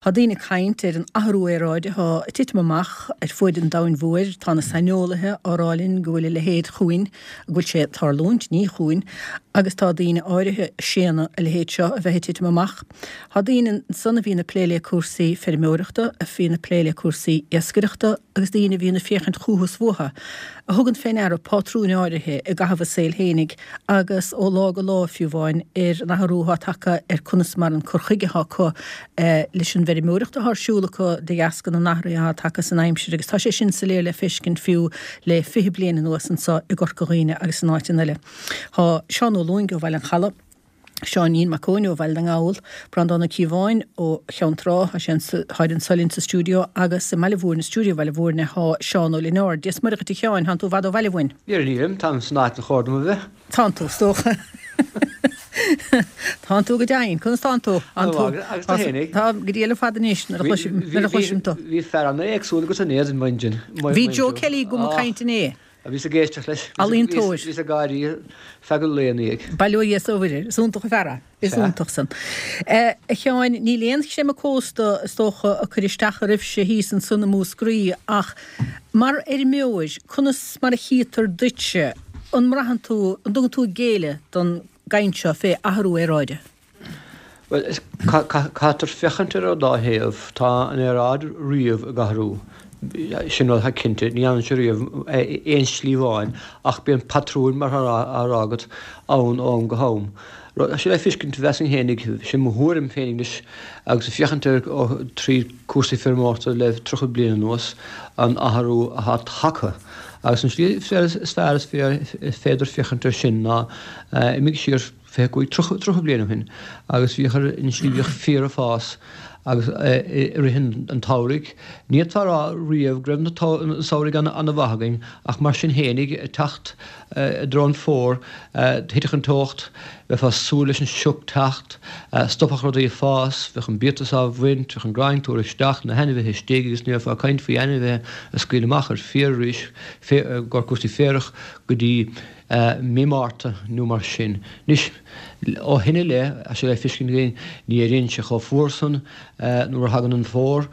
Tá daoine ag caint ar an athrú aeráide atá ag titim amach ar fuaid an domhain mhóir. Tá na saineolaithe á rá linn go bhfuil a leithéid chugainn, go bhfuil sé ag tarlúint, ní chugainn, agus tá daoine áirithe ag séanadh a leithéid seo a bheith ag titim amach. Tá daoine ansan a bhíonn ag plé le cúrsaí feirmeoireachta, a bhíonn ag plé le cúrsaí iascaireachta agus daoine a bhíonn ag féachaint chúthu is uathu, a thugann fé ndeara pátrúin áirithe i gcaitheamh a saoil fhéinig agus ó lá go lá fiú amháin ar an athrú atá tagtha ar conas mar an cur chuige atá acu leis an bhfeirmeoireacht atá ar siúl acu de dheasca na n-athruithe atá tagtha san aimsir agus tá sé sin soiléir le feiscint fiú le 20 bliain anuas anso i gCorca Dhuibhne agus in áiteanna eile. Tá Seán Ó Lúing ó Bhaile an Chalaidh, Seáinín Mac Eoin ó Bhaile na nGall, Breandán Ó Cíobháin ó Cheann Trá, tá sé táid anso linn sa stiúideo agus i mBaile Mhúirne, stiúideo Bhaile Mhúirne, tá Seán Ó Lionáird. Dia 's Muire dhuit a Sheáin, tánn tú i bhfad ó bhaile uainn? Níl, nílim, táim san áit ar chóir dom a bheith. Tánn tú, is dócha. Tánn tú go deimhin. Conas tánn tú? Tánn tú. Agus tú fhéinig? Tá, go diail ar fad anois, nuair a chloisim tú. Bhí fear an-éagsúil agat inné, maidin. Bhí Joe Kelly agam ag caint inné. Bhíos ag éisteacht leis. Ealaíontóir. Bhíos ag gáirí feadh an lae ina dhiaidh. Bail ó Dhia is ó Mhuire air. Is iontach an fear é. Is iontach san. A Sheáin, níl aon chreimeadh cósta, is dócha, ag cur isteach oraibhse thíos ansan i Múscraí ach mar fheirmeoir, conas mar a chítear duitse, an mbraitheann tú, an dtugann tú géilleadh don gcaint seo fé athrú aeráide? Bhuel, caithfear féachaint ar an dá thaobh. Tá an aeráid riamh ag athrú. Sin rud atá cinnte. Ní fhanann sé riamh aon slí amháin ach bíonn patrúin, mar atá á rá agat, ann ó am go ham. Tá sé le feiscint, mheasfainn fhéinig, sin mo thuairim féinig anois, agus ag féachaint air trí cúrsaí feirmeoireachta le 30 bliain anuas, an athrú atá tagtha. Agus an slí is fearr is féidir féachaint air sin ná imigh siar, 25, 30, 30 bliain ó shin agus bhíodh ar an slí bhíodh féar ag fás agus i rith an tsamhraidh. Ní fhéadfá a rá riamh go raibh na samhraidh ana-mhaith againn ach mar sin fhéinig ag teacht i dtreo an fómhair thitfeadh an teocht, bheifeá ag súil leis an sioc teacht, stopfadh rudaí ag fás, bheadh an biatas á bhaint, bheadh an gráin ag tabhairt isteach, na hainmhithe istigh agus ní bheifeá ag caint faoi ainmhithe a scaoileadh amach ar fiar arís, i gcomhair cúrsaí féarach go dtí mí Márta nó mar sin. Anois, ó shin i leith, tá sé le feiscint againn, ní éiríonn sé chomh fuar san nuair a thagann an fómhar,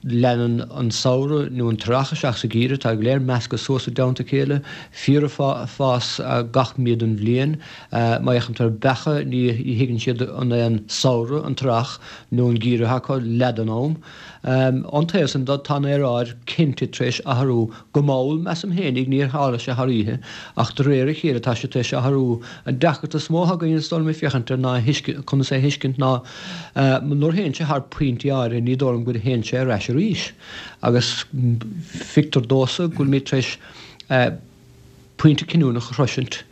leanann an samhradh nó an t-earrach isteach sa gheimhreadh, tá go léir measctha suas i dteannta a chéile, féar ag fás gach mí den bhliain. Má fhéachann tú ar beacha, ní thuigeann siad an é an samhradh, an t-earrach nó an geimhreadh acu leath den am. Ón taobh san de, tá an aeráid cinnte tar éis athrú Go mall, measaim fhéinig, níor tharla sé thar oíche, ach de réir a chéile tá sé tar éis athrú. An deacracht is mó atá againn is dóigh liom ag féachaint air ná conas é a thuiscint ná nuair a théann sé thar pointí áirithe ní dóigh liom go dtéann sé ar ais arís. Agus feictear domhsa go bhfuilimid tar éis pointe cinniúnach a shroisint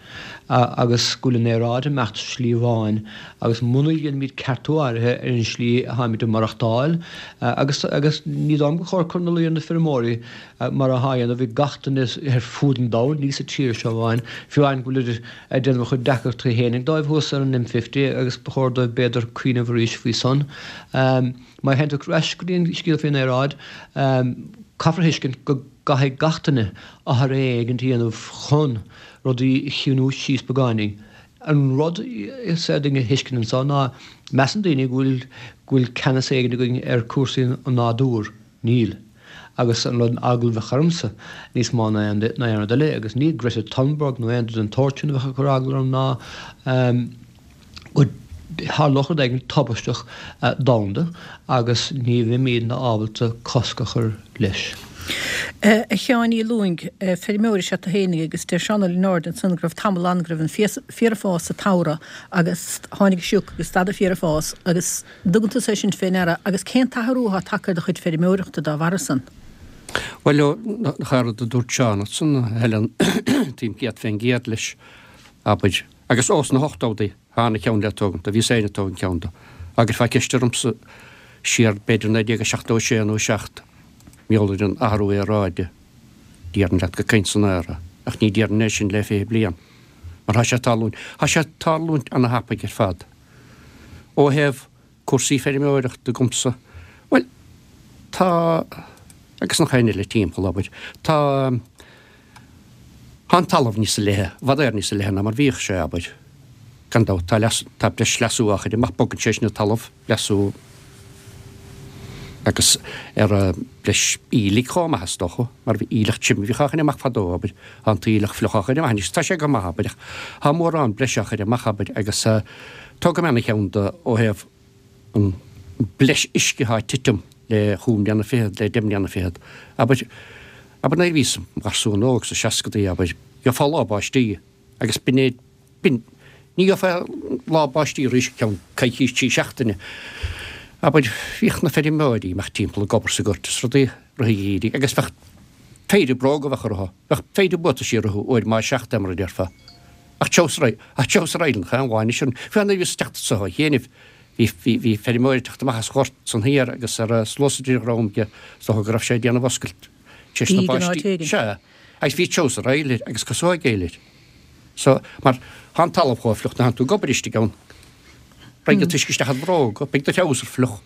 agus go bhfuil an aeráid ag imeacht slí amháin agus muna dhéanaimid ceartú áirithe ar an slí atáimid ag maireachtáil agus agus ní dóigh liom gur chóir cur ina luí ar na feirmeoirí mar atá á dhéanamh ag gach duine ar fud an domhain, ní sa tír seo amháin, fiú amháin go bhfuilid ag déanamh a chuid deacrachtaí fhéinig dóibh thuas ar an M50 agus ba chóir dóibh b'fhéidir cuimhneamh arís faoi san. Má théann tú ar ais go dtí an scéal faoin aeráid, caithfear a thuiscint go gcaithfidh gach duine athrú éigin a dhéanamh chun rudaí a chiúnú síos beagáinín. An rud is féidir linn a thuiscint anso ná measann daoine go bhfuil go bhfuil ceannas éigin againn ar cúrsaí an nádúir. Níl. Agus an rud eagla a bheadh ormsa níos mó ná aon rud eile, agus ní Greta Thunberg nó aon rud den tsórt sin a bheadh ag cur eagla orm ná go dtarlódh rud éigin tubaisteach domhanda agus ní bheimídne ábalta cosc a chur leis. A Sheáin Uí Lúing, feirmeoir is ea tú fhéinig agus deir Seán Ó Lionáird ansan go raibh tamall ann go raibh an féar ag fás sa tsamhradh agus tháinig an sioc agus stad an féar ag fás agus dtugann tusa é sin fé ndeara agus cén t-athrú atá tagtha ar do chuid feirmeoireachta dá bharra san? Bhuel, an chéad rud a dúirt Seán ansan, a Helen, taom 100% leis, abair. Agus ós na hochtódaí, tháinig ceann le tógaint do, bhíos féin ag tógaint ceann do. Agus fá ceist ormsa siar b'fhéidir 1976 nó 7, mar gheall ar an athrú aeráide, déarfainn leat gur caint san aer é, ach ní déarfainn é sin le 20 bliain. Mar tá sé ag tarlúint, tá sé ag tarlúint ana-thapaidh ar fad. Ó thaobh cúrsaí feirmeoireachta agamsa, bhuel, tá, agus an chaoi eile timpeall, abair, tá, tá an talamh níosa leithe, i bhfad Éireann níosa leithe ná mar bhíodh sé, abair. Gan dabht, tá leas, tá breis leasú á chur amach, bogann sé sin an talamh, leasú. Agus ar breis aoiligh chomh maith is dócha, mar bhí aoileach tirim a bhíodh á chur amach fadó, abair, tá an t-aoileach fliuch á chur amach anois, tá sé go maith, abair, ach tá mórán breise á chur amach, abair, agus tógfaidh mé ana cheann de ó thaobh an breis uisce atá ag titim le chúig mbliana fichead, le deich mbliana fichead, abair, abair nuair a bhíos im gharsún óg sa seascadaí, abair, gheofá lá báistí agus b'in é, B'in. Ní gheofá lá báistí arís go ceann coicís, trí seachtaine. Abair, bhíodh na feirmeoirí amach timpeall ag obair sa ghort is rudaí i rith an gheimhridh agus bheadh péire bróga a bheadh orthu, bheadh péire buataisí orthu uair maith seachtaine mar a déarfá. Ach treabhsar, ach treabhsar island chaon lá anois an, fiú nuair a bhíos ag teacht anso ó chianaibh, bhí, bhí, bhí feirmeoir ag teacht amach as ghort san thiar agus ar a sluasaid ar a dhrom aige, is dócha go raibh sé ag déanamh oscailt tar éis na báistí. Sea. Agus bhí treabhsar aoil air agus casóig aoil air. So, mar tá an talamh chomh fliuch nuair a thánn tú ag obair istigh ann. Raghaidh an t-uisce isteach i do bhróga, beidh do threabhsar fliuch.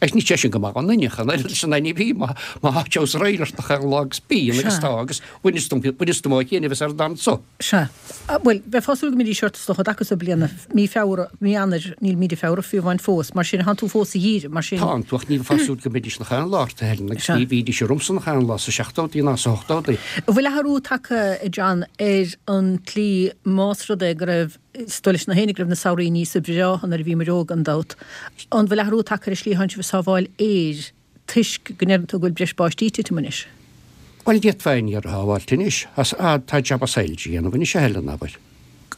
Agus ní sé sin go maith don duine, chan oiread leis an ní bhí má má tá treabhsar aoil ort nach aon lá agus bíonn agus tá agus bhaineas dom bhaineas dom ó chianaibh is ar an anso. Sea. Bhuel, bheifeá ag súil go mbeidís ort is dócha an dtaca so bliana, mí Feabhra, mí Eanáir, níl mí de Feabhra fiú amháin fós, mar sin, thánn tú fós sa gheimhreadh, mar sin. Tánn tú, ach ní bheifeá ag súil go mbeidís nach aon lá ort, a Helen, agus ní bhídís ormsa nach aon lá sa seachtóidí ná sa hochtóidí. An bhfuil athrú tagtha, a John, ar an tslí, más rud é go raibh, is dóigh leis na héinne go raibh na samhraí níosa breátha nuair a bhíomar óg, gan dabht, an bhfuil athrú tagtha ar an slí a thánn sibh ag sábháil aeir? toisc go ndeireann tú go bhfuil breis báistí ag titim anois. Bhuel, d'fhéadfá aon ní a shábháilt anois. Tá jab as saol a dhéanamh anois, a Helen, abair.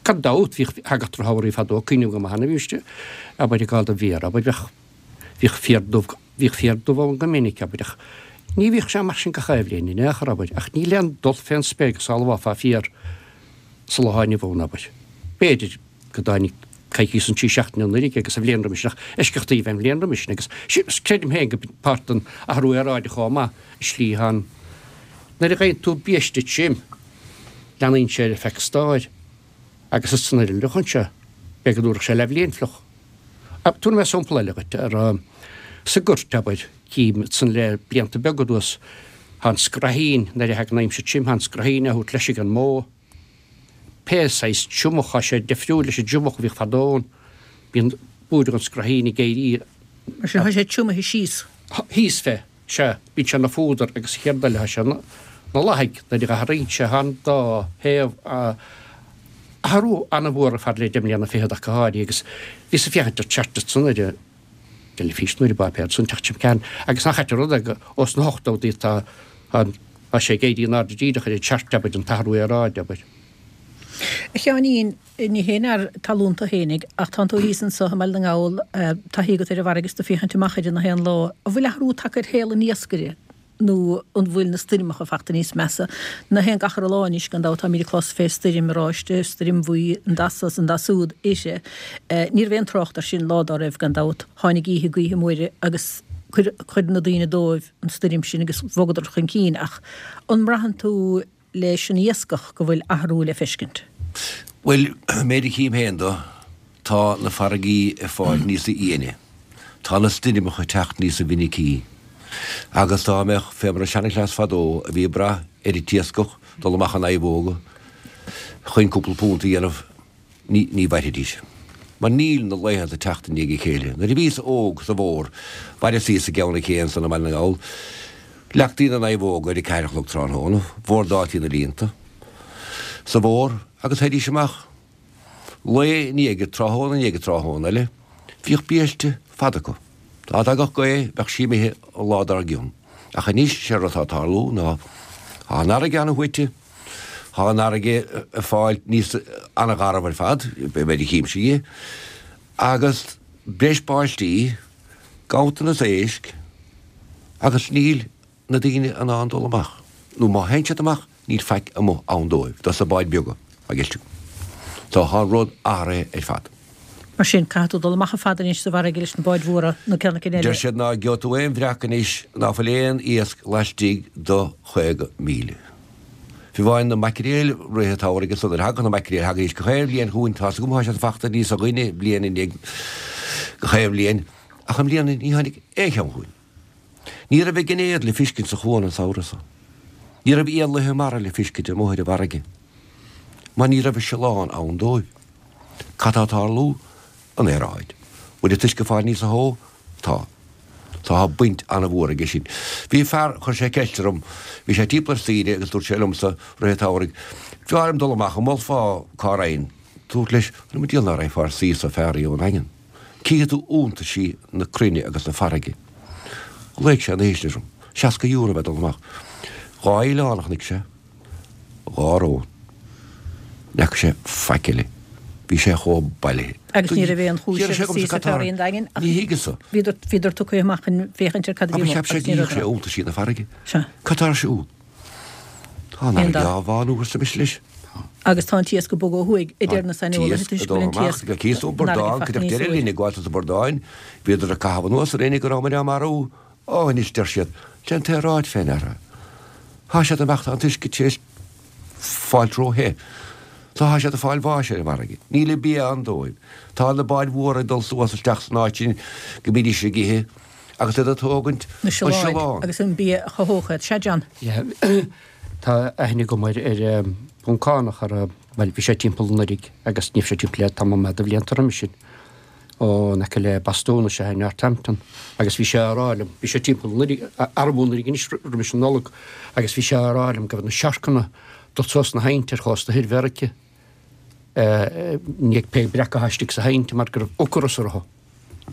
Gan dabht, bhíodh, thagadh drochshamhraí fadó, cuimhním go maith nuair a bhímse, abair, ag gabháil don bhféar, abair, bheadh, bhíodh féar dubh, bhíodh féar dubh ann go minic, abair, ach ní bhíodh sé mar sin gach aon bhliain in aon chor, abair, ach níl aon dul fén spéir go sábhálfá féar sa lá inniu ann, abair. B'fhéidir. go dtáinig coicís nó trí seachtaine anuraidh agus an bhliain roimis sin, ach eisceachtaí a bhí an bhliain roimis sin agus creidim féin go páirt den athrú aeráide chomh maith an slí atá an nuair a gheibheann tú biaiste tirim leanaíonn sé ar feadh stair agus is nuair a fhliuchann sé b'fhéidir go dtabharfadh sé leathbhliain fliuch. Tabharfaidh mé sampla eile dhuit ar sa ghoirt abair cím san le blianta beaga anuas tá an scraithín nuair a thagann aimsir tirim tá an scraithín á thabhairt leis ag an mbó. Pé saghas triomach, tá sé difriúil leis an dtriomach a bhíodh fadó ann. Bíonn búireach an scraithín ag éirí. Mar sin, tá sé triomaithe síos. Thíos fé, sea. Bíonn sé ina phúdar agus an chéad rud eile, tá sé ina lathaigh nuair a athraíonn sé. Tá an dá thaobh athrú an-mhór ar fad le deich mbliana fichead ach go háirithe agus bhíos ag féachaint ar chart ansan ar an teilifís nó ar an bpáipéar san teacht sin agus nach ait an rud é go ós na hochtóidí atá an Tá sé ag éirí in airde díreach ar an chart, abair, an t-athrú aeráide, abair. A Sheáinín, ní haon fhear talún tú fhéinig, ach tánn tú thíos anso i mBaile na nGall, taithí agat ar an bhfarraige is tú féachaint amach uirthi nach aon lá. An bhfuil athrú tagtha ar shaol an iascaire nó an bhfuil na stoirmeacha fachta níos measa? Nach aon gach re lá anois, gan dabht, táimid ag clos fé stoirm oráiste, stoirm bhuí, an dath so is an dath súd uirthi. Ní raibh aon trácht air sin lá dá raibh, gan dabht. Tháinig oíche gaoithe móire agus chuir na daoine dóibh. an stoirm sin agus bhogadar chun cinn ach an mbraitheann tú leis an iascach go bhfuil athrú le feiscint? Bhuel, méid a chím féin do, tá na farraigí ag fáil níosa íone. Tá na stoirmeacha ag teacht níosa mhinicí. Agus dá mbeadh fé mar an seanchleas fadó a bhí ag brath ar an t-iascach dul amach in naomhóga chun cúpla punt a dhéanamh, Ní, ní mhairfidís. Mar níl na laethanta ag teacht i ndiaidh a chéile. Nuair a bhíos óg sa bhfómhar, mhaireas thíos i gCeann an Ché ansan i mBaile na nGall, leagtaí na naomhóga ar a ceathair a chlog tráthnóna, bhordáiltí na líonta sa bhfómhar agus théidís amach. Lae i ndiaidh tráthnóna i ndiaidh tráthnóna eile, bhíodh biaiste fada acu. Dá dtagadh gaoth, bheadh sí imithe an lá dár gcionn. Ach anois, sé rud atá ag tarlú ná, tá an fharraige an-shuaite, Tá an fharraige ag fáil níos an-gharbh ar fad, méid a chímse dhi, agus breis báistí, ganntanas éisc, agus níl na daoine in ann dul amach, nó má théann siad amach, níl faic amuigh ann dóibh, dos na báid beaga, a gheall tú. So tá an rud athraithe ar fad. Mar sin, caithfidh tú dul amach chomh fada anois sa bhfarraige leis na báid mhóra nó ceann eicínt eile. Deir siad ná gheobhaidh tú aon bhreac anois ná fuil aon iasc laistigh de 50 míle. Fiú amháin na maicréil rith an tsamhraidh ansan nuair a thagadh na maicréil, thagaidís gach aon bhliain chugainn, tá's agam thá siad fachta níosa ghainne bliain i ndiaidh gach aon bhliain, ach i mbliana ní tháinig aon cheann chugainn. Ní raibh a gcinéad le fiscint sa chuan an samhradh so. Ní raibh éanlaithe mara le fiscint amuigh ar an bhfarraige, mar ní raibh siolán ann dóibh. Cad tá ag tarlú? An aeráid. Bhfuil an t-uisce ag fáil níosa theo? Tá. Tá baint an-mhór aige sin. Bhí fear, chuir sé ceist orm, bhí sé timpeall ar saoire agus dúirt sé liomsa rith an tsamhraidh, b'fhearr liom dul amach, an molfá cá raghainn? Dúrt leis, mo diabhal ná raghfá ar saoire fearr ón nDaingean. Cífidh tú iontaisí na cruinne agus na farraige. Ghlaoigh sé an oíche sin orm. €60 a bheith dul amach. Dá oileán a chonaic sé. Dhá rón. Ní fhaca sé faic eile. Bhí sé chomh bailithe. Agus ní raibh aon chúis ar saoire fearr an Daingin ach Ní thuigeas-sa. bhíodar tugtha amach chun féachaint ar cad a bhí amuigh agus ní raibh. Cheap sé iontaisí na farraige. Sea. Cad tá ar siúl? Tá an fharraige á bhánú arsa mise leis. Agus tá an t-iasc ag bogadh ó thuaidh, a deir na saineolaithe, toisc go bhfuil an t-iasc Cíos tú an bradán, cuideachta deireadh linn ag gabháil sa bhradáin, bhíodar ag caitheamh anuas orainn go rabhamair á marú. Ó, anois, deir siad, sé an t-aeráid fé ndeara. Thá siad ag imeacht, tá an t-uisce tar éis fáilt ró-the. Tá siad ag fáil bháis ar an bhfarraige. Níl an bia ann dóibh. Tá na báid mhóra ag dul suas isteach san áit sin go mbídís ag ithe agus iad ag tógaint na siolláin agus an bia a chothódh iad. Sea, John? Yeah. Tá aithne agam ar ar Phoncánach ar bhuel bhí sé timpeall anuraidh agus ní raibh sé timpeall le tamall maith de bhlianta roimis sin. Ó in aice le Bostún is ea i Northampton agus bhí sé á rá liom, bhí sé timpeall anuraidh, arú anuraidh anois roimis an Nollaig agus bhí sé á rá liom go raibh na siorcanna dul suas sna haibhnte ar chósta thoir Mheiriceá i ndiaidh pé breac atá istigh sna haibhnte mar go raibh ocras orthu,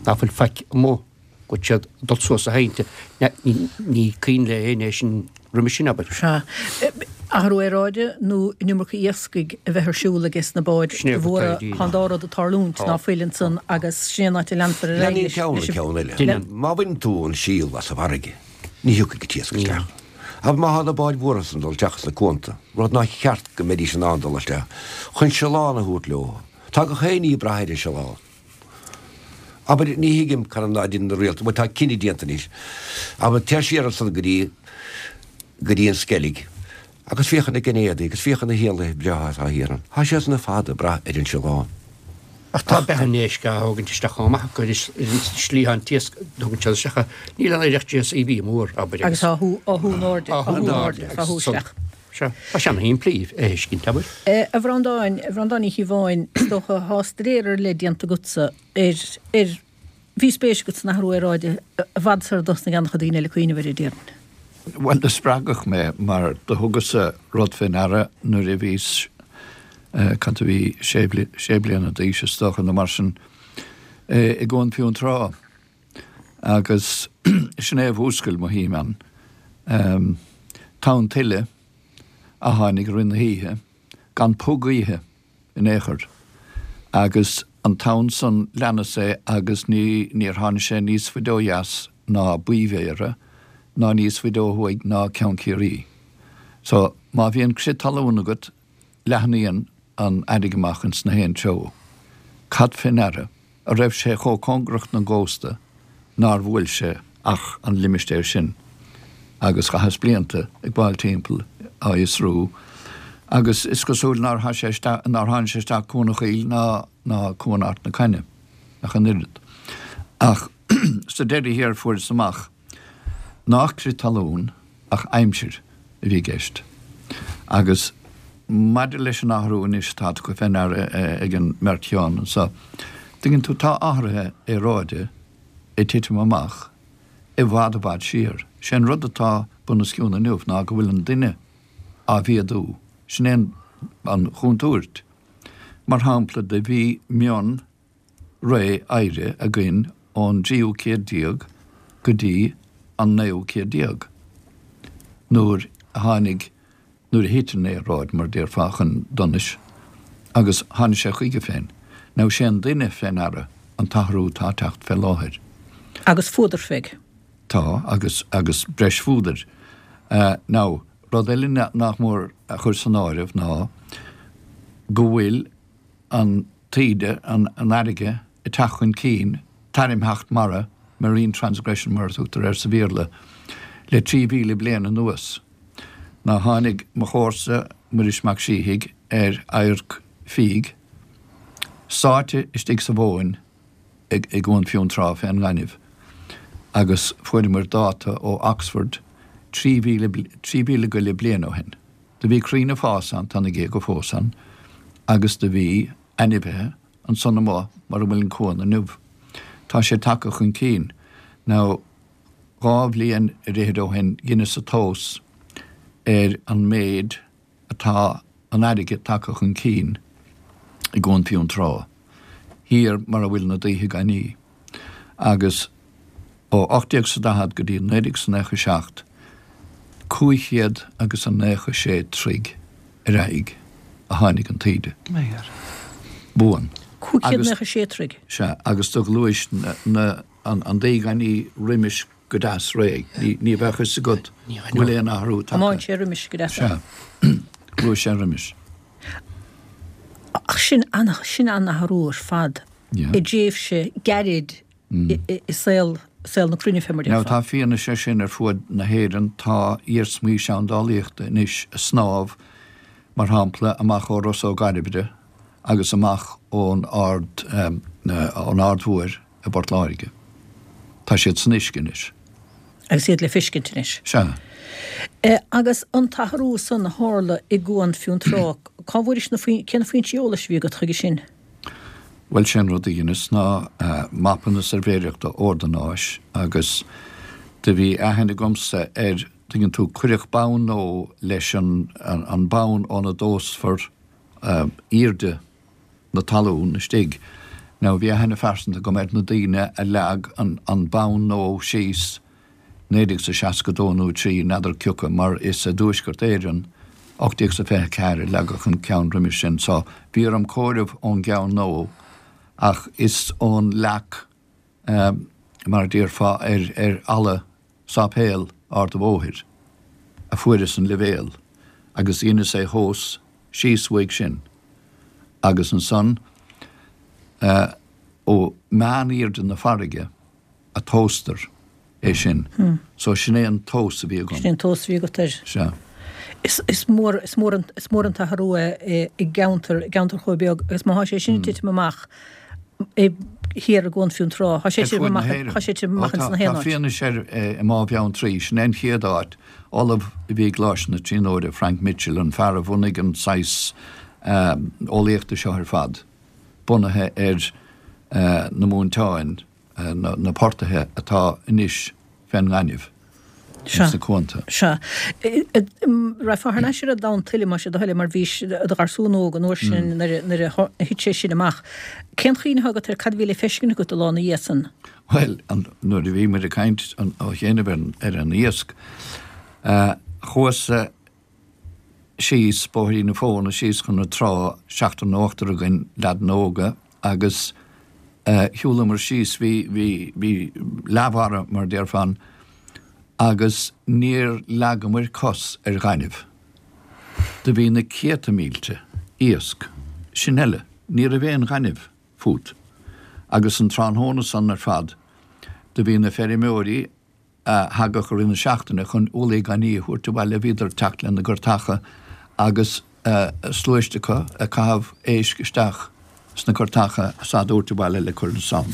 ná fuil faic amuigh. Go bhfuil siad ag dul suas sna haibhnte. Ní cuimhin le éinne é sin roimis sin, abair. Sea. Athrú aeráide nó an iomarca iascaigh a bheith ar siúl ages na báid mhóra, tá an dá rud ag tarlúint, ná fuil ansan agus sin é an áit a leanfar ar aghaidh leis. Leanann ceann an ceann eile. Má bhaineann tú an síol as an bhfarraige, ní thiocfaidh an t-iasc isteach. Ach má thá na báid mhóra san ag dul isteach sna cuanta, rud nár cheart go mbeidís in ann dul isteach, chun siolán a thabhairt leo, tá gach aon ní ag brath ar an siolán. Abair, ní thuigim cad ná deineann na rialtais, bhuel tá cinneadh déanta anois, abair, téir siar ansan go dtí, go dtí an Sceilg agus féach ar na geinéadaí agus féach ar na héanlaithe breátha atá thiar ann. Tá siad san ar fad ag brath ar an siolán. Ach tá beatha an éisc á thógaint isteach chomh maith acu ar an slí an t-iasc a thógann siad isteach. Níl an oiread JCB mór, abair, agus. Agus á shú, á shú in airde, á shú in airde, á shú isteach. Sea, tá sé ana-shimplí a thuiscint, abair. A Bhreandáin, a Bhreandáin Uí Chíobháin, is dócha, thá staidéar ar leith déanta agatsa ar, ar, bhí spéis agat san athrú aeráide i bhfad sar a dtosnaigh an-chuid daoine eile cuimhneamh air, déarfainn. Bhuel, do spreagadh mé mar do thugas-sa rud fé ndeara nuair a bhíos, cad a bhí, sé, sé bliana d'aois is dócha nó mar sin, i gCuan Fionntrá. Agus sin é a mhúscail mo shuim ann. Tonn tuile a tháinig i rith na hoíche, gan puth gaoithe in aon chor, agus an tonn san leanas é agus ní níor tháinig sé níos faide ó dheas ná Baoi Bhéarra ná níos faide ó thuaidh ná Ceann Ciarraí. So, má bhíonn crith talún agat, leathnaíonn an fharraige amach ins na haon treo. Cad fé ndeara a raibh sé chomh cóngarach don gcósta nár bhuail sé ach an limistéar sin agus chaitheas blianta ag gabháil timpeall á fhiosrú agus is cosúil nár tháinig sé isteach nár tháinig sé isteach Cuan an Chaoil ná ná Cuan Ard na Caithne ach an oiread. Ach sa deireadh thiar fuaireas amach Nách crith talún ach aimsir a bhí i gceist. Agus maidir leis an athrú anois atá tugtha fé ndeara ag an mbeirt Sheán anso, tuigeann tú, tá athruithe aeráide ag titim amach i bhfad i bhfad siar. Sé an rud atá bunoscionn inniu ná go bhfuil an duine á mhéadú. Sin é an chontúirt. Mar shampla, do bhí mion ré oighre againn ón dtríú céad déag go dtí an naoú céad déag, nuair a tháinig, nuair a thit an aeráid, mar a déarfá, chun donais agus tháinig sé chuige féin. Now sé an duine fé ndeara an t-athrú atá ag teacht fé láthair. Agus fuadar féig. Tá, agus, agus breis fuadair. Now, rud eile nach mór a chur san áireamh ná go bhfuil an taoide, an fharraige, ag teacht chun cinn, tairmtheacht mara, marine transgression mar a tugtar air sa Bhéarla, le 3,000 bliain anuas. Now tháinig mo chomharsa, Muiris Mac Síthigh, ar adharc fiaigh, sáite istigh sa mhóin i gCuan Fionntrá fén ngaineamh, agus fuaireamar dáta ó Oxford 3,000, 3,000 go leith bliain ó shin. Do bhí crainn ag fás ann, tá na géaga fós ann, agus do bhí ainmhithe ansan amuigh mar a bhfuil an cuan inniu. Tá sé tagtha chun cinn. Now, 2 bhliain ar fhichid ó shin dheineas-sa tomhas ar an méid atá an fharraige tagtha chun cinn i gCuan Fionntrá, thiar mar a bhfuil na Daoithe Gainní, agus ó 1840 go dtí 1997, 500 agus a 96 troigh ar aghaidh a tháinig an taoide. Buan. 596 troigh. Sea, agus do ghluais na, an Daoi Gainní roimis go deas réidh. Ní bheadh fhios agat go bhfuil aon athrú tagtha. Thiomáin sé roimis go deas. Sea. Ghluais sé roimis. Ach sin, sin an-athrú ar fad i dtréimhse gairid i saol, saol na cruinne fé mar Now tá fianaise air sin ar fuaid na hÉireann, tá iarsmaí seandálaíochta anois ag snámh, mar shampla, amach ó Ros Ó gCairbre agus amach ón Ard, ón Aird Mhóir i bPort Láirge. Tá siad san uisce anois. Agus iad le feiscint anois. Sea. Agus an t-athrú san a tharla i gCuan Fionntrá, cá bhfuairis na, cé na foinsí eolais a bhí agat chuige sin? Bhuel, sé an rud a dheineas ná mapanna suirbhéireachta ordanáis agus do bhí aithne agamsa ar, tuigeann tú, cuireadh bonn nua leis an, an bonn óna dtomhasfar aoirde na talún istigh. Now bhí aithne phearsanta agam ar na daoine a leag an bonn nua síos 1962 nó 3, n'fheadar cioca, mar is i dTuaisceart Éireann, 1824 a leagadh an ceann roimis sin, so bhí orm comhaireamh ón gceann nua, ach is ón leac, mar a déarfá, ar ar fhalla sáipéal Ard a' Bhóthair a fuaireas an leibhéal agus dheineas é thomhas síos uaidh sin agus ansan ó meán-aoirde na farraige a tomhastar é sin. So sin é an tomhas a bhí agam. Sin é an tomhas a bhí agat air. Sea. Is mór, is mór an, is mór an t-athrú é i gceantar, i gceantar chomh beag agus má thá sé sin ag titim amach i, thiar i gCuan Fionntrá, thá sé ag titim amach, thá sé ag titim amach ins na haon áit. Tá fianaise air i mBá Bheanntraí, sin é an chéad áit, ollamh a bhí i gColáiste na Tríonóide, Frank Mitchell, an fear a bhunaigh an saghas eolaíochta seo ar fad. bunaithe ar na móinteáin, na portaithe atá anois fén ngaineamh ins na cuanta. Sea. Raghfá thar n-ais ar an dtonn tuile, más é do thoil é, mar bhís i do gharsún óg an uair sin nuair a thit sé sin amach. Cén chuimhne atá agat ar cad a bhí le feiscint agat an lá ina dhiaidh san? Bhuel, nuair a bhí muid ag caint ó chianaibh ar an iasc, chuas-sa síos Bóithrín na Fóna, síos chun na trá, seachtar nó ochtar againn, leaideanna óga, agus shiúlamar síos, bhí, bhí, bhí leathmhara, mar a déarfá ann, agus níor leagamair cos ar ghaineamh. Do bhí na céadta mílte iasc, sin eile, ní raibh aon ghaineamh fút. Agus an tráthnóna san ar fad, do bhí na feirmeoirí, a thagadh i rith na seachtaine chun ualaí gainní a thabhairt abhaile, bhíodar ag teacht lena gcurtacha agus sluaiste acu ag caitheamh éisc isteach sna curtacha is á dtabhairt abhaile le cur ansan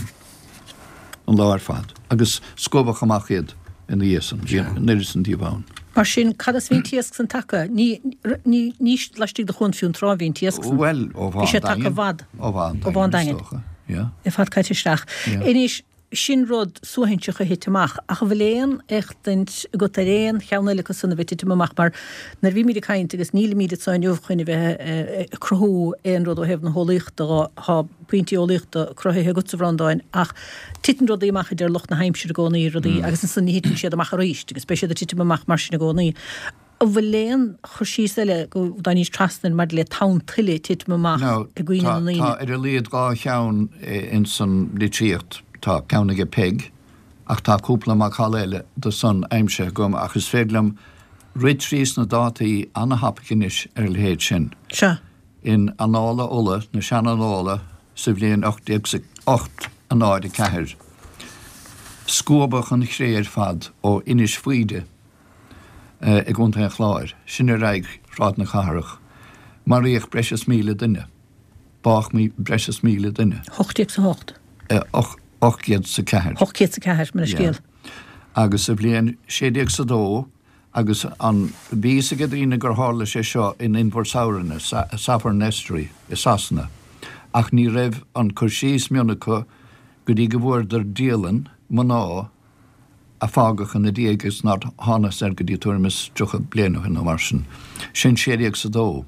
an lá ar fad agus scuabadh amach iad ina dhiaidh san, bhí an oiread san díobh ann. Mar sin, cad as a bhí an t-iasc san tagtha? Ní, ní, ní laistigh de Chuan Fionntrá a bhí an t-iasc san. Bhuel, ó Bhí sé tagtha i bhfad. Ó Bhá an Ó Bhá an Daingin, is dócha. Yeah. Ar fad caite isteach. Yeah. Anois, Sin rud suaithinseach a thit amach. Ach an bhfuil aon éachtaint agat ar aon cheann eile acu san a bheith ag titim amach? Mar nuair a bhímid ag caint, agus nílimid anso inniu chun a bheith ag cruthú aon rud ó thaobh na heolaíochta dho, tá pointí eolaíochta cruthaithe agatsa, a Bhreandáin, ach titeann rudaí amach a deir lucht na haimsire i gcónaí, rudaí, agus ansan ní thiteann siad amach arís agus beidh siad ag titim amach mar sin i gcónaí. An bhfuil aon chur síos eile go dtáinig trasna air maidir le tonn tuile ag titim amach i gcuimhne na ndaoine? Tá ar a laghad 2 cheann ins an litríocht. Tá ceann aige Peig ach tá cúpla macalla eile de san aimsithe agam ach is féidir liom rith tríos na dátaí ana-thapaidh anois ar a leithéid sin. Sea. In Annála Uladh, na sean-annála, sa bhliain 1804, scuabadh an chré ar fad ó Inis Faoide, i gContae an Chláir, sin ar aghaidh Shráid na Cathrach. Maraíodh breis is 1,000 duine. Bádh breis is 1,000 duine. 808. 804. 804, mo leithscéal. Agus sa bhliain 1602, agus an, bhí fhios ag daoine gur tharla sé seo in Inbhir Sabhraine, Severn Estuary, i Sasana, ach ní raibh an cur síos mion acu go dtí go bhfuaireadar dialann mná a. a fágadh ina diaidh agus nár thángthas air go dtí tuairim is 30 bliain ó shin nó mar sin. Sin sé déag 's a dó.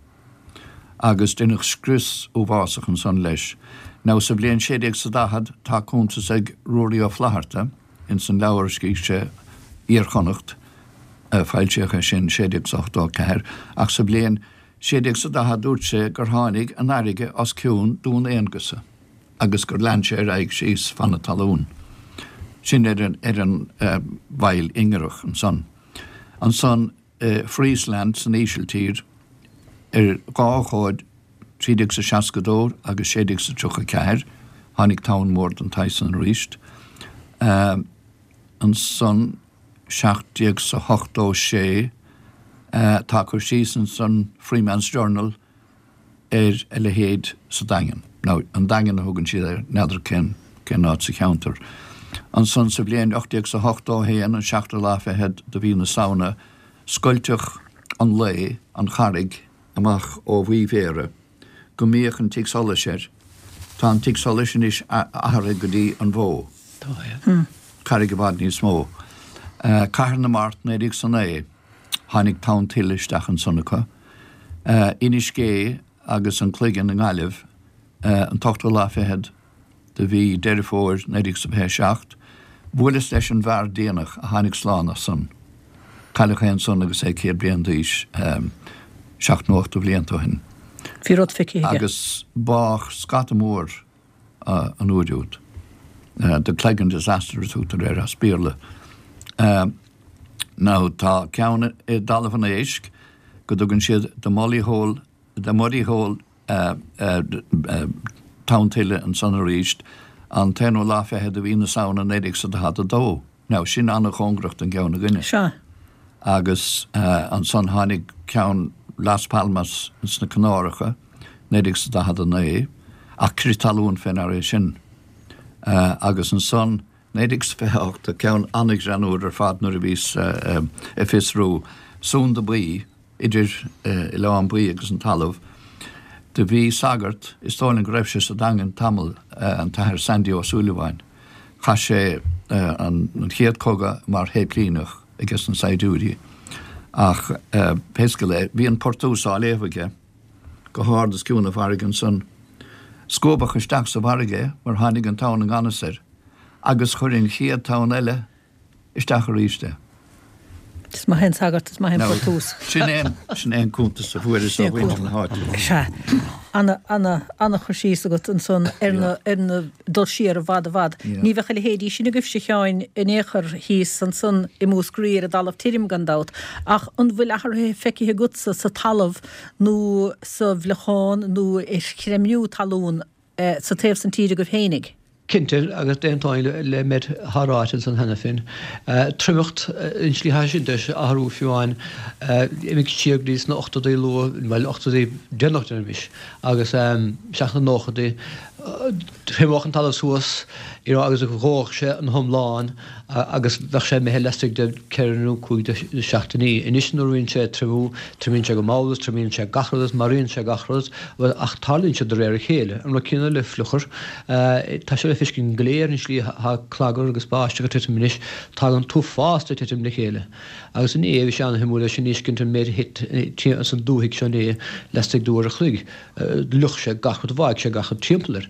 Agus deineadh scrios uafásach ansan leis. Now sa bhliain sé déag 's a daichead tá cuntas ag Ruairí Ó Flaithearta ins an leabhar a scrígh sé, Iar-Chonnacht, foilsíodh é sin sé déag 's a 84, ach sa bhliain sé déag 's a daichead dúirt sé gur tháinig an fharraige os cionn Dún Aonghusa. agus gur lean sé ar aghaidh síos fan na talún. Sin ar an ar an bhfaill ingearach ansan. Ansan i Friesland san Ísiltír ar dhá ócáid, 1362 agus 1634, tháinig tonn mór den tsaghas san aríst. Ansan 1786 tá cur síos ansan Freeman's Journal, ar a leithéid sa Daingean. Nó an Daingean a thugann siad air, n'fheadar cén cén áit sa cheantar. Ansan sa bhliain 1881, an seachtú lá fichead de mhí na Samhna, scoilteadh an lao, an charraig, amach ó Mhaigh Bhéarra, go mbíodh an tigh solais air. Tá an tigh solais anois athraithe go dtí an Bhó. Carraig i bhfad níos mó. Cathair na Mart 1909. Tháinig tonn tuile isteach ansan acu. Inis Gé agus an Cloigeann i nGaillimh, an t-ochtú lá fichead de mhí Deireadh Fómhair 1927. Bhuaileas leis an bhfear déanach a tháinig slán as san. Cailleadh é ansan agus é 100 bliain d'aois, seacht nó ochtó bhlianta ó shin. Bhí rud feicthe aige. Agus bádh scata mór an uair úd. The Cleggan Disaster a tugtar air as Béarla. Now tá ceann i dTalamh an Éisc go dtugann siad The Molly Hole, The Muddy Hole tonn tuile ansan arís an t-aonú lá fichead de mhí na Samhna 1942. Now sin an-chóngarach don gceann againne. Sea. Agus ansan tháinig ceann Las Palmas ins na Canáracha, 1949, ach crith talún fé ndeara é sin. Agus ansan 1928, tá ceann an-ghreannmhar ar fad nuair a bhíos ag fiosrú, Sunda Baoi, idir Oileán Baoi agus an talamh. Do bhí sagart, is dóigh liom go raibh sé sa Daingean tamall, an tAthair Sandy Ó Súilleabháin. Chaith sé an chéad cogadh mar shéiplíneach aige sna saighdiúirí ach pé scéal é, bhí an Portús á léamh aige go hard os cionn na farraige ansan. Scuabadh isteach sa bhfarraige é mar tháinig an tonn i ngan fhios air agus chuir an chéad tonn eile isteach arís é. Is maith é an sagart, is maith é an Portús. Sin é, sin é an cuntas a fuaireas ó mhuintir na háite. Sea. Ana, ana, ana chur síos agat ansan ar na, ar na, dul siar i bhfad i bhfad. Ní bheadh a leithéidí sin agaibhse, a Sheáin, in aon chor thíos ansan i Múscraí ar an dtalamh tirim, gan dabht. Ach an bhfuil athruithe feicthe agatsa sa talamh nó sa bhfliuchán nó ar chreimniú talún sa taobh san tíre agaibh fhéinig? Cinnte, agus d'aontóinn le méid atá ráite ansan cheana féin. Triomacht, an tslí atá sin tar éis athrú fiú amháin, imigh siar go dtí sna ochtóidí luath, bhuel ochtóidí déanach deirimis, agus isteach sna nóchaidí, thriomódh an talamh suas, you know, agus dhódh sé an hiomlán agus bheadh sé imithe laistigh de ceithre nó cúig de seachtainí. Anois nuair a bhíonn sé ag triomú, triomaíonn sé go mall agus triomaíonn sé gach rud agus maraíonn sé gach rud, bhuel, ach tarlaíonn sé de réir a chéile. An rud céanna le fliuchar, tá sé le feiscint go léir an slí atá clagar agus báisteach ag titim anois, tagann an t-uafás ag titim le chéile. Agus inné, bhí sé an-shuimiúil é sin a fheiscint an méid a thit san dúthaigh seo inné laistigh d'uair a chloig. Fhliuch sé gach rud, bháigh sé gach rud timpeall air.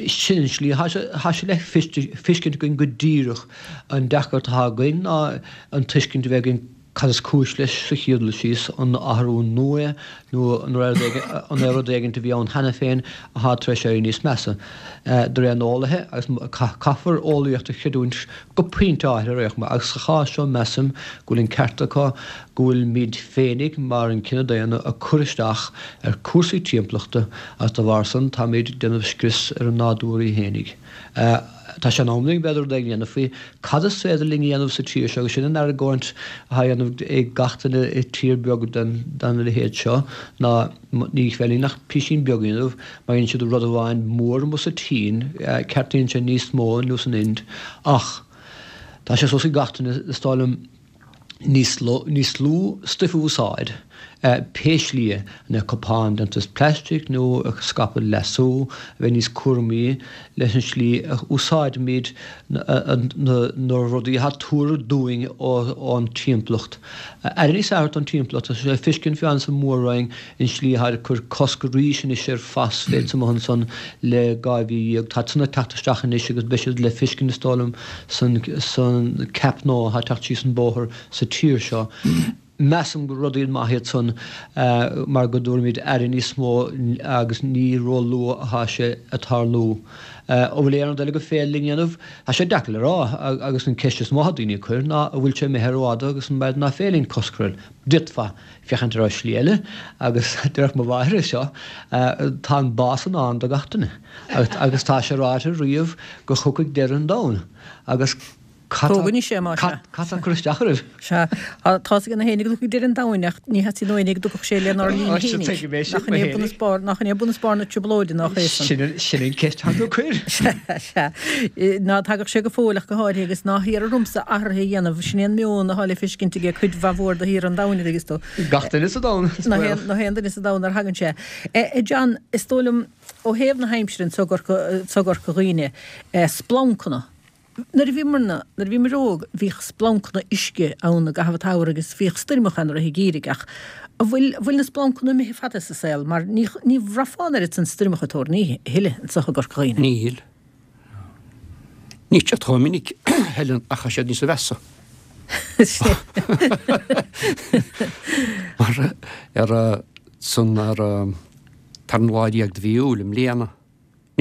Sin an slí atá sé le feiscint againn go díreach. An deacracht atá againn ná an tuiscint a bheith againn cad is cúis leis sa chéad dul síos, an athrú nua é nó an é rud éigin a bhí ann cheana féin atá tar éis éirí níos measa. De réir na n-eolaithe, agus caithfear eolaíocht a chreidiúint go pointe áirithe ar aon chuma, agus sa chás seo measaim go bhfuil an ceart acu, go bhfuilimid féinig mar an cine daonna ag cur isteach ar cúrsaí timpeallachta agus dá bharr san táimid ag déanamh scrios ar an nádúr í fhéinig. Tá sé in am linn b'fhéidir rud éigin a dhéanamh faoi. Cad is féidir linn a dhéanamh sa tír seo agus sin an argóint atá á dhéanamh ag gach duine i tír beag den leithéid seo ná ní féidir linn ach písín beag a dhéanamh, má dhéanann siad rud amháin mór amuigh sa tSín ceartaíonn sé níos mó nó san Ind ach tá sé suas ag gach duine is dóigh liom. Níos níos lú stuif a úsáid, pé slí é, na cupáin déanta as plaistic nó ag scaipeadh leasú, a bheith níos cúramaí leis an slí a úsáidimid na rudaí atá tabhartha dúinn ón timpeallacht. Aire níos fearr a thabhairt don timpeallacht, tá sé le feiscint fiú amháin sa Mhór-Roinn an slí atá ag cur cosc arís anois ar phosphate amuigh ansan le 12 mhí. Tá san ag teacht isteach anois agus beidh siad le feiscint is dóigh liom san ceap nua atá ag teacht síos an bóthar sa tír seo. Measaim gur rudaí maith iad san mar go dtabharfaimid aire níos mó agus ní ró-luath atá sé ag tarlú. An bhfuil aon rud eile gur féidir linn a dhéanamh? Tá sé deacair le rá agus an ceist is mó atá daoine ag cur ná an bhfuil sé imithe rófhada agus an b'fhéidir nach féidir linn cosc a chur air. D'fhéadfá féachaint ar shlí eile agus déarfadh mo mháthair é seo, tá an bás i ndán do gach duine agus tá sé ráite riamh go thiocfaidh deireadh an domhain agus cad Tóg anois é, más ea. cad tá ag cur isteach oraibh? Sea, tá's ag na héinne go dtiocfaidh deireadh an domhain ach ní theastaíonn ó éinne go dtiocfadh sé lenár linn fhéinig. Tuigim é sin, Nach in é bun is barr, nach in é bun is barr na trioblóide nach é san. Sin sin an ceist atá tú ag cur. Sea, sea. Ná tagadh sé go fóill ach go háirithe agus ná hiarr ormsa athruithe a dhéanamh, sin é an meon atá le feiscint aige cuid mhaith mhór de thíortha an domhain, a dtuigeas tú. Gach duine sa domhan, is baol. Nach aon duine sa domhan ar thagann sé. A John, is dóigh liom, ó thaobh na haimsire anso i gCorca Dhuibhne, splancanna. Nuair a bhíomarna, nuair a bhíomar óg, bhíodh splancanna uisce ann i gcaitheamh an tsamhraidh agus bhíodh stoirmeacha ann i rith an gheimhridh ach an bhfuil, an bhfuil na splancanna imithe fada sa saol mar ní, ní bhraithfeá an oiread san stoirmeacha toirní a thuilleadh anso i gCorca Dhuibhne. Níl. Níl siad chomh minic, Helen, ach tá siad níos mheasa. Mar ar san ar tarna lá déag de mhí Iúil i mbliana.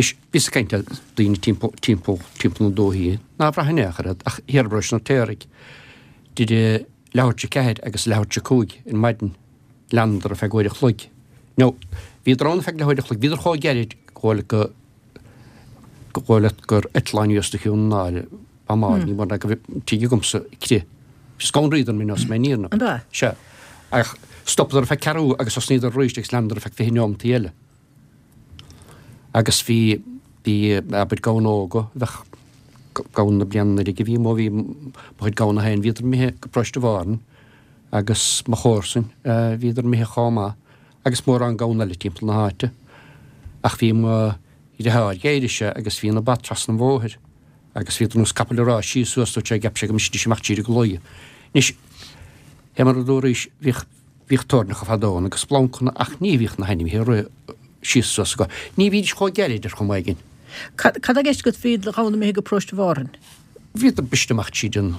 Anois, bhíos ag caint le daoine timpeall, timpeall, timpeall na dúichí, ná bhraith in aon chor iad, ach thiar i bParóiste an Fheirtéaraigh, idir leathuair tar éis a ceathair agus leathuair tar éis a cúig ar maidin, leanadar ar feadh uair a chloig. Nó, bhíodar ann ar feadh leathuair a chloig, bhíodar chomh gairid go bhfuil go, go bhfuil leat gur eitleán a bhí os do chionn ná buamáil, ní mór ná go bhfuil tigh agamsa ag crith. Scanraíodar mé nós mé níor An ea? Sea. Ach stopadar ar feadh ceathrú agus thosnaíodar arís agus leanadar ar feadh 20 neomataí eile. Agus bhí, bhí, abair, gamhna óga, bheadh gamhna na bliana anuraidh a bhí amuigh, bhí mo chuid gamhna féin, bhíodar imithe go Paróiste Mhárthain agus mo chomharsain, bhíodar imithe chomh maith agus mórán gamhna eile timpeall na háite. Ach bhí mo dheartháir, d'éirigh sé agus bhí na ba trasna an bhóthair agus bhíodar ar nós capaill ag rás síos suas, dúirt sé, cheap sé go mbrisfidís amach tríd an gclaí. Anois, fé mar a dúraís, bhíodh. Bhíodh toirneacha fadó ann agus splancanna ach ní bhíodh na hainmhithe ag rith síos suas acu. Ní bhídís chomh gairid ar chuma éigin. Cad tá i gceist agat bhí do ghamhna imithe go Paróiste Mhárthain? Bhíodar briste amach tríd an,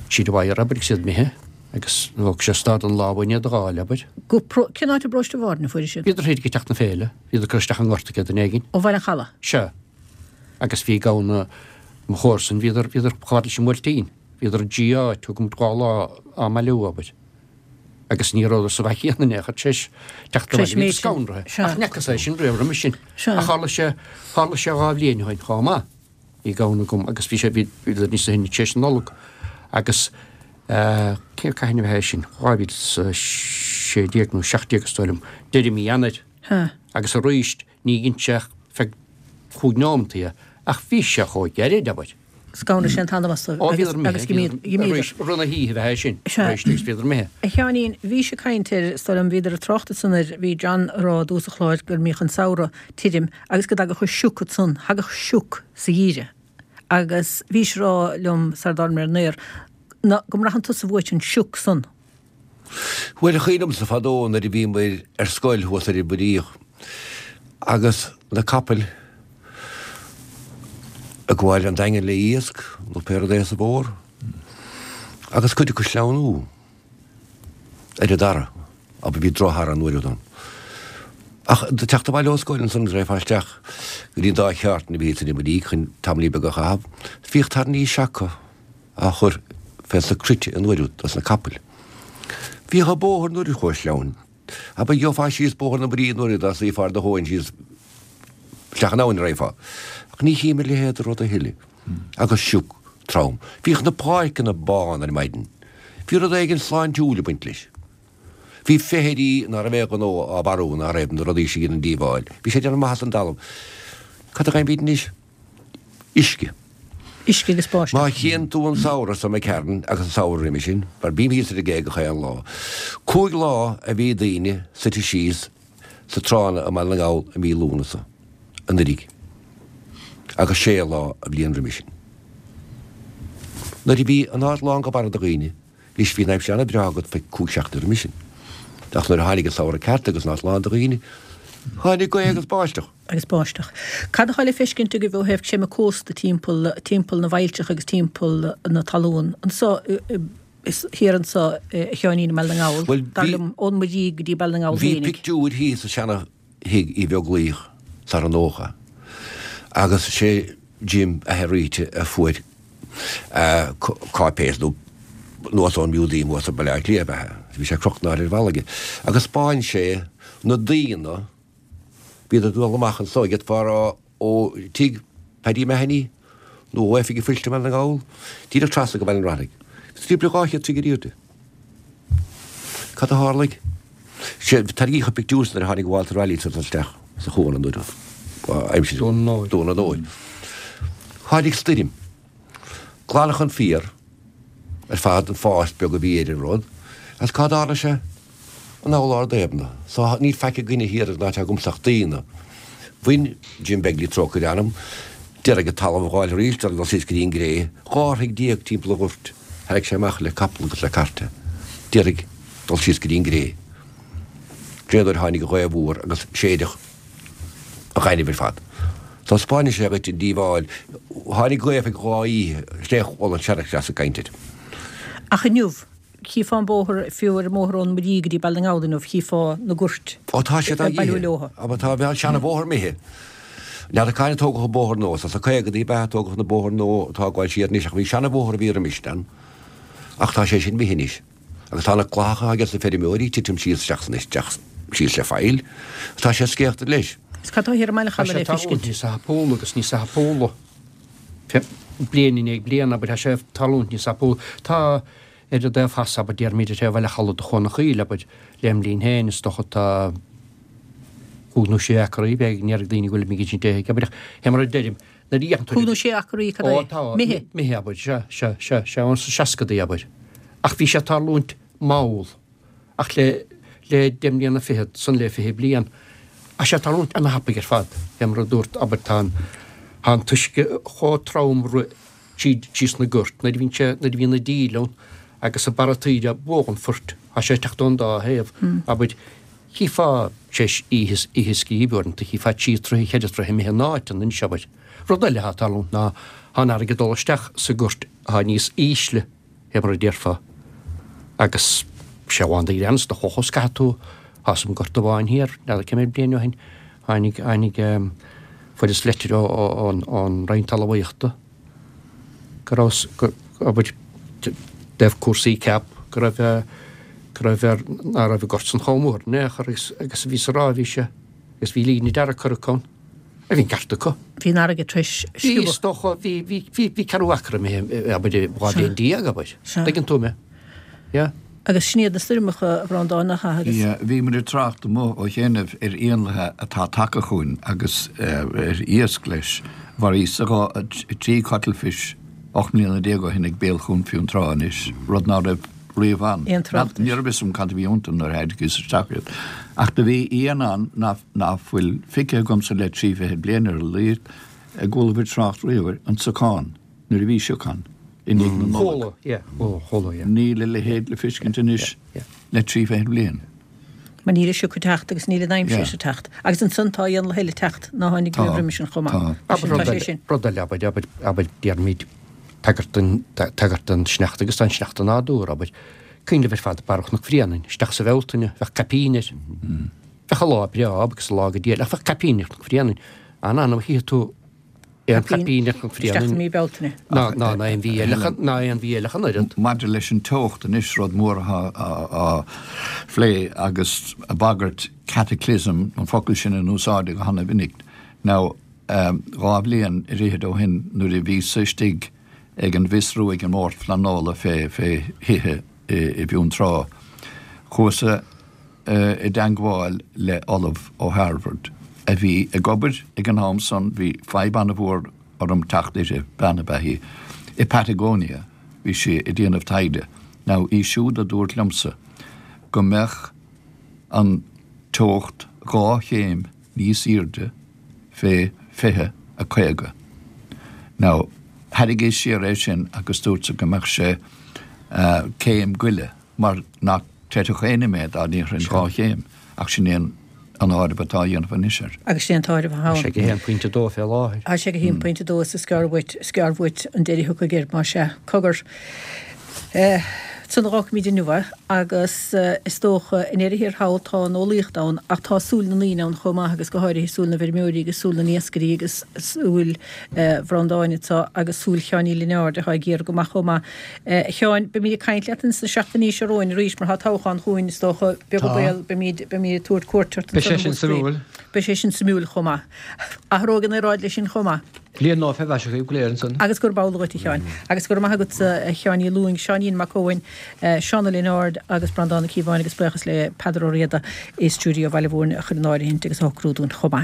tríd an wire, abair, agus iad imithe agus thóg sé stad an lá uainn iad a dh'fháil, abair. Go Pro, cén áit i bParóiste Mhárthain a fuair siad? Bhíodar thiar ag teacht na féile, bhíodar ag cur isteach i ngort ag duine éigin. Ó Bhaile an Chalaidh? Sea. Agus bhí gamhna mo chomharsan, bhíodar, bhíodar chomh fada leis an mBuailtín. Bhíodar i dtrí áit, thug muid 2 lá á mbailiú, abair. Agus ní rabhadar sa bhfaiche chéanna in aon chor tar éis teacht Tar éis abhaile, bhíodar méid sin. scanraithe. Sea. Ach ní fhacas é sin riamh roimhe sin. Sea. Ach tharla sé, tharla sé 2 bhliain ó shin chomh maith. Bhí gamhna agam agus bhí sé, bhí, bhíodar níos sine tar éis na Nollag. Agus eh, cé, cathain a bhí é sin? 2016 nó 17 is dóigh liom, deireadh mí Eanáir. Sea. Agus arís, ní dhein sé ach feadh chúig neomataí é, ach bhí sé chomh gairid, abair. Scanraigh sé an t-anam astu Ó, bhíodar imithe, agus d'imíodar. Arís, rith na hoíche a bheith é sin, Sea. arís, agus bhíodar imithe. A Sheáinín, bhís ag caint ar, is dóigh liom, bhíodar ag trácht ansan air, bhí John ag rá i dtús an chláir go mbíodh an samhradh tirim agus go dtagadh an sioc ansan, thagadh sioc sa gheimhreadh agus bhís ag rá liom sar dtáinig muid ar an aer, ná, go mbraitheann tusa uait an sioc san. Bhuel, is cuimhin liomsa fadó nuair a bhíomair ar scoil thuas ar an Mhuiríoch agus na capaill ag gabháil an Daingean le iasc nó pé rud é sa bhfómhar agus cuid acu sleamhnú ar an dara, abair bhí droch-dhara an uair úd ann. Ach teacht abhaile ó scoil ansan agus raghfá isteach go dtí an dá cheártain a bhí san Mhuiríoch chun tamaillín beag a chaitheamh, bhíodh tairní seaca á chur fé sna cruite an uair úd dos na capaill. Bhíodh an bóthar an uair úd chomh sleamhain. Abair gheofá síos bóthar na Muirí an uair úd dá suífeá ar do thóin síos isteach in abhainn a raghfá. Ach ní chím a leithéid de rud a thuilleadh. Agus sioc trom. Bhíodh na páirceanna bán ar maidin. Bhí rud éigin sláintiúil ag baint leis. Bhí feithidí ná raibh aon ghnó á mharú ná raibh na rudaí sin a dhéanann díobháil. Bhí sé ag déanamh maitheas don dtalamh. Cad a gheibhimid anois? Uisce. Uisce agus báisteach. Má chíonn tú an samhradh so imigh tharainn agus an samhradh roimhe sin, mar bím thíos ar an gcé gach aon lá, 5 lá a bhí daoine suite síos sa tránna i mBaile na nGall i mí Lúnasa anuiridh agus sé lá an bhliain roimhe sin. Nuair a bhí an áit lán go barra de dhaoine, Anois bhí an aimsir an-bhreá agat fé chúig seachtaine roimis sin. Ach nuair a tháinig an samhradh ceart agus an áit lán de dhaoine, tháinig gaoth agus báisteach. agus báisteach. Cad atá le feiscint agaibh ó thaobh creimeadh cósta timpeall, timpeall na bhfaillteach agus timpeall na talún anso, thiar anso a Sheáinín i mBaile na nGall, Bhuel, dar bhí, liom, ón Muirí go dtí Baile na nGall bhí féinig. pictiúir thíos sa seana thigh Uí Bheaglaoich sar an 90 agus sé Jim athair Rita a fuair cáipéis nó anuas ón Museum thuas i mBaile Átha Cliath ab ea é. Bhí sé crochta in áirde ar bhalla aige. Agus 'spáin sé na daoine, bhíodar ag dul amach anso, d'fhéadfá a rá ó tigh Paddy Mahony nó ó Oifig an Phoist i mBaile na nGall, díreach trasna go Baile an Ráthaigh. Timpeall 200 troigh ar airde. Cad a tharlaigh? Sé, tarraingíodh an pictiúr san nuair a tháinig Walter Raleigh isteach sa chuan an uair aimsir Dún an Óir. Dún an Óir. Tháinig stoirm. Glanadh an féar ar fad, an fás beag a bhí ar an rud, agus cá dtarla sé? Anall Ard Éabna. So níl faic againne thiar ag an áit agamsa ach daoine. Bhain Jim Begley trócaire orm, d'iarraidh an talamh a dh'fháil arís, d'iarraidh dul síos go dtí an gcré, 12 throigh timpeall an ghoirt, tharraing sé amach le capall agus le cairt é, d'iarraidh dul síos go dtí an gcré. Dé nuair a tháinig an ghaoth mhór agus séideadh an ghainimh ar fad. So 'spáineann sé dhuit an díobháil. Tháinig gaoth ag dhá oíche, is é chuala an seanchleas ag caint air. Ach inniu, Chífeá an bóthar, fiú ar an mbóthar ón Muirí go dtí Baile na nGall inniu, chífeá na goirt Ó tá siad á ag bailiú dh'ithe. leothu. Abair tá an seana-bhóthar imithe. N'fheadar cathain a tógadh an bóthar nua, sna caogadaí ab ea a tógadh na bóthar nua atá ag gabháil siar anois ach bhí seana-bhóthar a bhí roimis ann ach tá sé sin imithe anois. Agus tá na clathacha ages na feirmeoirí ag titim síos isteach san isteach síos le faill. Tá sé scéachta leis. Is cad tá thiar i mBaile Tá Chalaidh sé le tarlúint feiscint? níos tapúla agus níos tapúla. Bliain i ndiaidh bliana, abair, tá sé ag tarlúint níos tapúla. Tá ar an dtaobh theas, abair, déarfaimid ar thaobh Bhaile Chalaidh de Chuan an Chaoil, abair, lem linn féin, is dócha tá cúig nó sé acraí, b'fhéidir go ndéarfaidh daoine go bhfuil mé ag insint éagaigh, abair, ach fé mar a deirim, nuair a fhéachann tú Cúig nó sé acraí, cad é? Ó, tá, Imithe? imithe, abair, sea, sea, sea, sea, ón sna seascadaí, abair. Ach bhí sé ag tarlúint mall. Ach le le deich mbliana fichead, san le 20 bliain, tá sé ag tarlúint ana-thapaidh ar fad, fé mar a dúrt, abair, tá an tá an t-uisce chomh trom rith tríd síos na goirt, nuair a bhíonn sé, nuair a bhíonn an díle ann agus an barra taoide buadh an phoirt, tá sé ag teacht ón dá thaobh, abair, chífeá tar éis oíche oíche scríbe uaireanta, chífeá trí troithe, cheithre troithe imithe in áiteanna anois, abair. Rud eile atá ag tarlúint ná tá an fharraige ag dul isteach sa gort atá níos ísle. fé mar a déarfá. Agus sé amháin do ghreann is do chlocha is caithfidh tú, tá 'fhios a'm gort amháin thiar, n'fheadar cé mhéad bliain ó shin, tháinig, tháinig, fuaireas leitir ó, ó, ón, ón Roinn Talmhaíochta go raibh, go, abair, i dtaobh cúrsaí CAP, go raibh, go raibh ar, ná raibh an gort san chomh mór in aon chor agus, agus a bhíos a rá a bhí sé, agus bhí líne dearg curtha acu ann. A bhí an ceart acu. Bhí an fharraige tar éis Bhí, sciobadh. is dócha, bhí, bhí, bhí, bhí ceathrú acra imithe, abair, 12 bhliain, abair. Sea. Tuigeann tú mé. Yeah. Agus sin iad na stoirmeacha, a Bhreandáin, nach ea? Agus. Yeah, bhí muid ag trácht amuigh ó chianaibh ar éanlaithe atá tagtha chugainn agus ar iasc leis. Mharaíos-sa dhá, trí cuttlefish 18 mbliana ó shin ag béal Chuan Fionntrá anois, rud ná raibh riamh ann. Aon trácht Ní raibh fhios agam cad a bhí iontu nuair a thairgíos isteach iad. Ach do bhí éan ann ná ná fuil feicthe agamsa le trí fichid bliain ar a laghad, a gcualabhair trácht riamh air, an siocán, nuair a bhí sioc ann, i ndiaidh na Nollag. Chuala, yeah, chuala, chuala, yeah. Níl a leithéid le feiscint anois le trí fichid bliain. Mar níl an sioc ag teacht agus níl an aimsir Yeah. ag teacht. Agus ansan tá éanlaithe eile ag teacht ná tháinig Tá, riamh roimis sin chomh maith. tá. Mar Abair sin, rud tá sé eile, sin. rud eile, abair, abair, abair, déarfaimid, tagairt don, tagairt don sneachta agus don sneachta nádúrtha, abair. Cuimhin libh ar fad Barra Chnoc Bhréanainn, isteach sa Bhealtaine, bheadh caipín air. Bheadh an lá breá agus an lá go diail, ach bheadh caipín ar Chnoc Bhréanainn. An-annamh a chífidh tú aon chaipín ar Chnoc Isteach Bhréanainn. i mí Bealtaine. Ná, ná, ná aon mhí eile, ná aon mhí eile ach an oiread. Maidir leis an teocht anois, rud mór atá á phlé agus bagairt cataclysm, an focal sin in úsáid go hana-mhinic. Now, dhá bhliain ar fhichid ó shin nuair a bhíos-sa istigh ag an bhfiosrú ag an mBord Phleanála fé fé thithe i bhFionntrá. Chuas-sa i dteangmháil le Ollamh ó Harvard a bhí ag obair ag an am san, bhí fadhb ana-mhór. orm teacht uirthi, bean ab ea í, i Patagonia, bhí sí ag déanamh taighde. Now, í siúd a dúirt liomsa go mbeadh an teocht 2 chéim níos aoirde fé 2050. Now, tharraingíos siar é sin agus dúrtsa go mbeadh sé céim go leith mar nach gcreidfeadh éinne mé dá ndéarfainn 2 chéim ach sin é an an áireamh atá á dhéanamh anois air. Agus sin é an t-áireamh atá ann. Tá sé ag 1.2 fé láthair. Tá sé ag 1.2 is is gearr uait, is gearr uait an deireadh a thiocfaidh air, más ea. Cogar. Ansan a dh'fhágfaimid inniu é agus is dócha i ndeireadh thiar thall tá an eolaíocht ann ach tá súil na ndaoine ann chomh maith agus go háirithe súil na bhfeirmeoirí agus súil na n-iascairí agus súil Bhreandáin anseo agus súil Sheáin Uí Lionáird atá ag iarraidh go maith chomh maith. A Sheáin, beimid ag caint leat ins na seachtainí seo romhainn arís mar tá toghchán chugainn is dócha, beag an baol, beimid, beimid ag tabhairt cuairt ort Beidh sé sin suimiúil. Beidh sé sin suimiúil chomh maith. Athróidh an aeráid leis sin chomh maith. Bliain nua fé mhaise dhaoibh go léir ansan. Agus gurb amhlaidh dhuit, a Sheáin. Agus go raibh maith agatsa, a Sheáin Uí Lúing, Seáinín Mac Eoin, Seán Ó Lionáird agus Breandán Ó Cíobháin agus buíochas le Peadar Ó Riada i stiúideo Bhaile Mhúirne a chuir in áirithint agus a shocrú dúinn chomh maith.